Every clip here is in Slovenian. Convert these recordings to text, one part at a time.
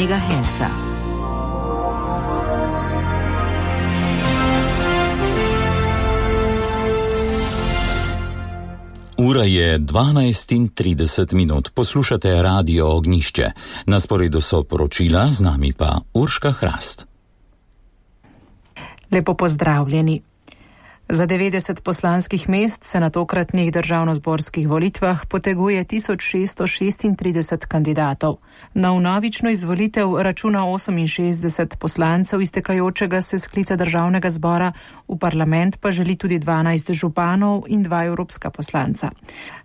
MHz. Ura je 12:30. Poslušate Radio Ognjišče. Na sporedu so poročila, z nami pa Urška Hrast. Lepo pozdravljeni. Za 90 poslanskih mest se na tokratnih državnozborskih volitvah poteguje 1636 kandidatov. Na vnovično izvolitev računa 68 poslancev iztekajočega se sklica državnega zbora, v parlament pa želi tudi 12 županov in 2 evropska poslanca.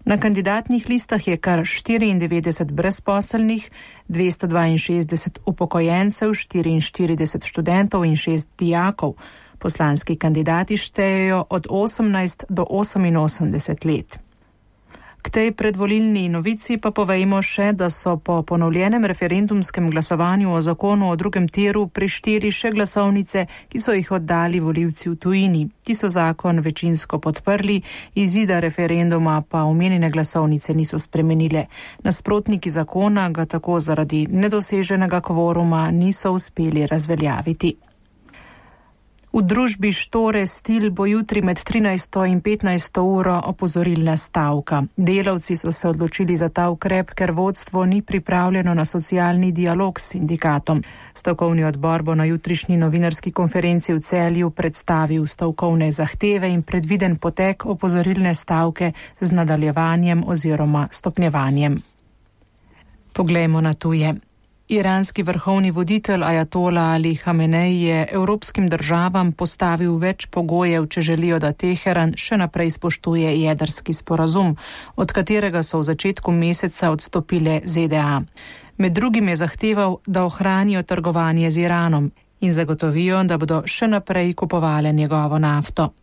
Na kandidatnih listah je kar 94 brezposelnih, 262 upokojencev, 44 študentov in 6 dijakov. Poslanski kandidati štejejo od 18 do 88 let. K tej predvolilni novici pa povejmo še, da so po ponovljenem referendumskem glasovanju o zakonu o drugem tiru prešteli še glasovnice, ki so jih oddali volivci v tujini. Ti so zakon večinsko podprli, izida referenduma pa omenjene glasovnice niso spremenile. Nasprotniki zakona ga tako zaradi nedoseženega kvoruma niso uspeli razveljaviti. V družbi Štore Stil bo jutri med 13. in 15. uro opozorilna stavka. Delavci so se odločili za ta ukrep, ker vodstvo ni pripravljeno na socialni dialog s sindikatom. Stavkovni odbor bo na jutrišnji novinarski konferenci v Celju predstavil stavkovne zahteve in predviden potek opozorilne stavke z nadaljevanjem oziroma stopnjevanjem. Poglejmo na tuje. Iranski vrhovni voditelj ajatola Ali Hamenej je evropskim državam postavil več pogojev, če želijo, da Teheran še naprej spoštuje jedrski sporazum, od katerega so v začetku meseca odstopile ZDA. Med drugim je zahteval, da ohranijo trgovanje z Iranom in zagotovijo, da bodo še naprej kupovale njegovo nafto.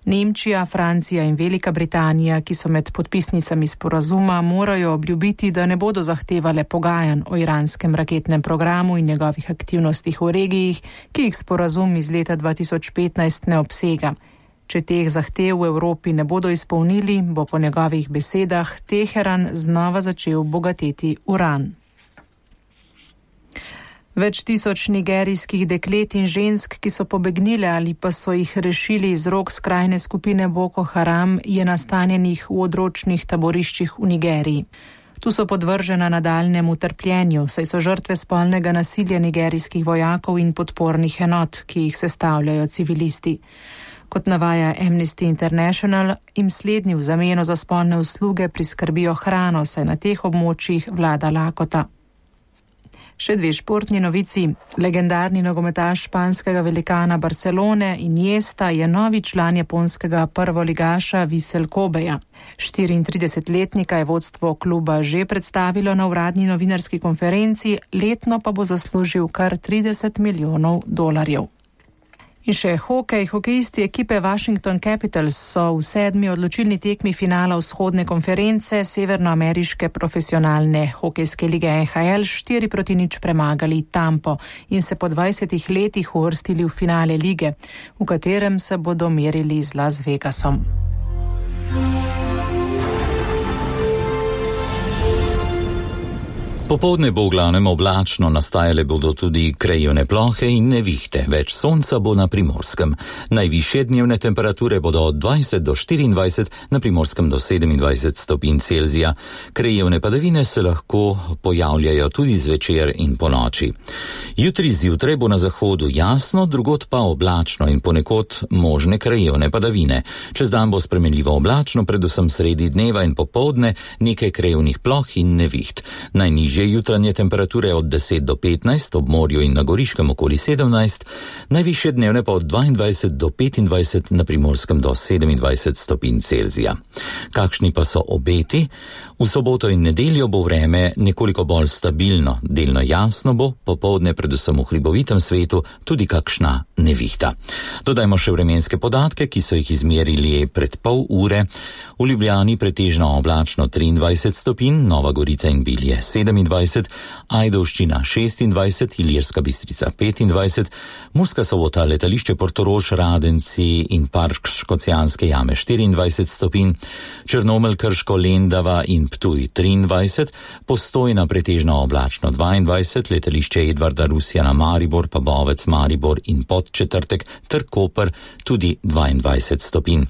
Nemčija, Francija in Velika Britanija, ki so med podpisnicami sporazuma, morajo obljubiti, da ne bodo zahtevale pogajanj o iranskem raketnem programu in njegovih aktivnostih v regiji, ki jih sporazum iz leta 2015 ne obsega. Če teh zahtev v Evropi ne bodo izpolnili, bo po njegovih besedah Teheran znova začel bogateti uran. Več tisoč nigerijskih deklet in žensk, ki so pobegnile ali pa so jih rešili iz rok skrajne skupine Boko Haram, je nastanjenih v odročnih taboriščih v Nigeriji. Tu so podvržena nadaljnjemu trpljenju, saj so žrtve spolnega nasilja nigerijskih vojakov in podpornih enot, ki jih sestavljajo civilisti. Kot navaja Amnesty International, jim slednji v zameno za spolne usluge priskrbijo hrano, saj na teh območjih vlada lakota. Še dve športni novici. Legendarni nogometaš španskega velikana Barcelone Iniesta je novi član japonskega prvoligaša Vissel Kobeja. 34-letnika je vodstvo kluba že predstavilo na uradni novinarski konferenci, letno pa bo zaslužil kar $30 milijonov. In še hokej. Hokejisti ekipe Washington Capitals so v 7. odločilni tekmi finala vzhodne konference severnoameriške profesionalne hokejske lige NHL 4-0 premagali Tampo in se po 20 letih uvrstili v finale lige, v katerem se bodo merili z Las Vegasom. Popoldne bo v glavnem oblačno, nastajale bodo tudi krajevne plohe in nevihte, več sonca bo na Primorskem. Najvišje dnevne temperature bodo od 20 do 24, na Primorskem do 27 stopinj Celzija. Krajevne padavine se lahko pojavljajo tudi zvečer in ponoči. Jutri zjutraj bo na zahodu jasno, drugod pa oblačno in ponekod možne krajevne padavine. Čez dan bo spremenljivo oblačno, predvsem sredi dneva in popoldne nekaj krajevnih ploh in neviht. Najnižje jutranje temperature od 10 do 15, ob morju in na Goriškem okoli 17, najvišje dnevne pa od 22 do 25, na Primorskem do 27 stopinj Celzija. Kakšni pa so obeti? V soboto in nedeljo bo vreme nekoliko bolj stabilno, delno jasno bo, popoldne predvsem v hribovitem svetu tudi kakšna nevihta. Dodajmo še vremenske podatke, ki so jih izmerili pred pol ure. V Ljubljani pretežno oblačno 23 stopinj, Nova Gorica in Bilje 27, 27, Ajdovščina 26, Ilirska Bistrica 25, Murska Sobota, letališče Portorož, Radenci in Park Škocjanske jame 24 stopinj, Črnomelj, Krško, Lendava in Ptuj 23, Postojna pretežno oblačno 22, letališče Edvarda Rusjana Maribor, pa Bovec, Maribor in Podčetrtek ter Koper tudi 22 stopinj.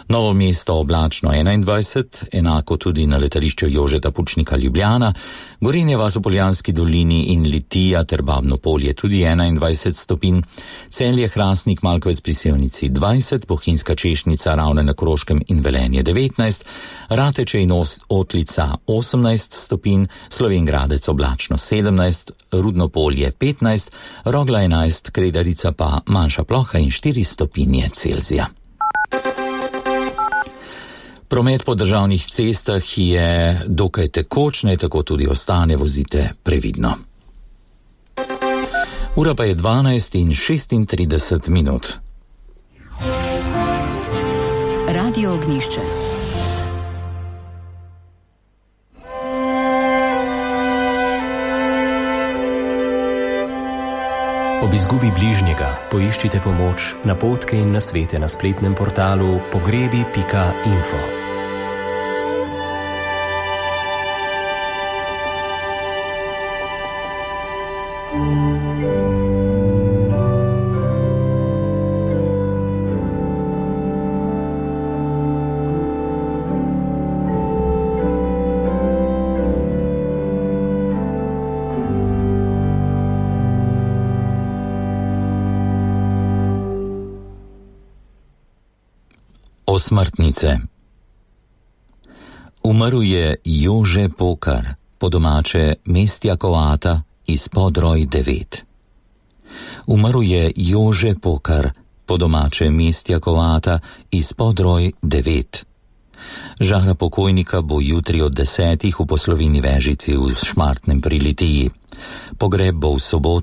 Novo mesto oblačno 21, enako tudi na letališču Jožeta Pučnika Ljubljana, Gorenje vas v Poljanski dolini in Litija ter Babno Polje tudi 21 stopinj, Celje, Hrastnik, Malkovec pri Sevnici 20, Bohinjska Češnica, Ravne na Koroškem in Velenje 19, Rateče in Otlica 18 stopinj, Slovenj Gradec oblačno 17, Rudno Polje 15, Rogla 11, Kredarica pa manjša ploha in 4 stopinje Celzija. Promet po državnih cestah je dokaj tekoč, naj tako tudi ostane, vozite previdno. Ura pa je 12:36 minut. Radio Ognjišče. Ob izgubi bližnjega poiščite pomoč, napotke in nasvete na spletnem portalu pogrebi.info. Osmrtnice. Umrl je Jože Pokar, po domače Mestjakovata iz Podroj 9. Umrl je Jože Pokar, po domače Mestjakovata iz Podroj 9. Žara pokojnika bo jutri od 10 v poslovini Vežici v Šmartnem pri Litiji. Pogreb bo v soboto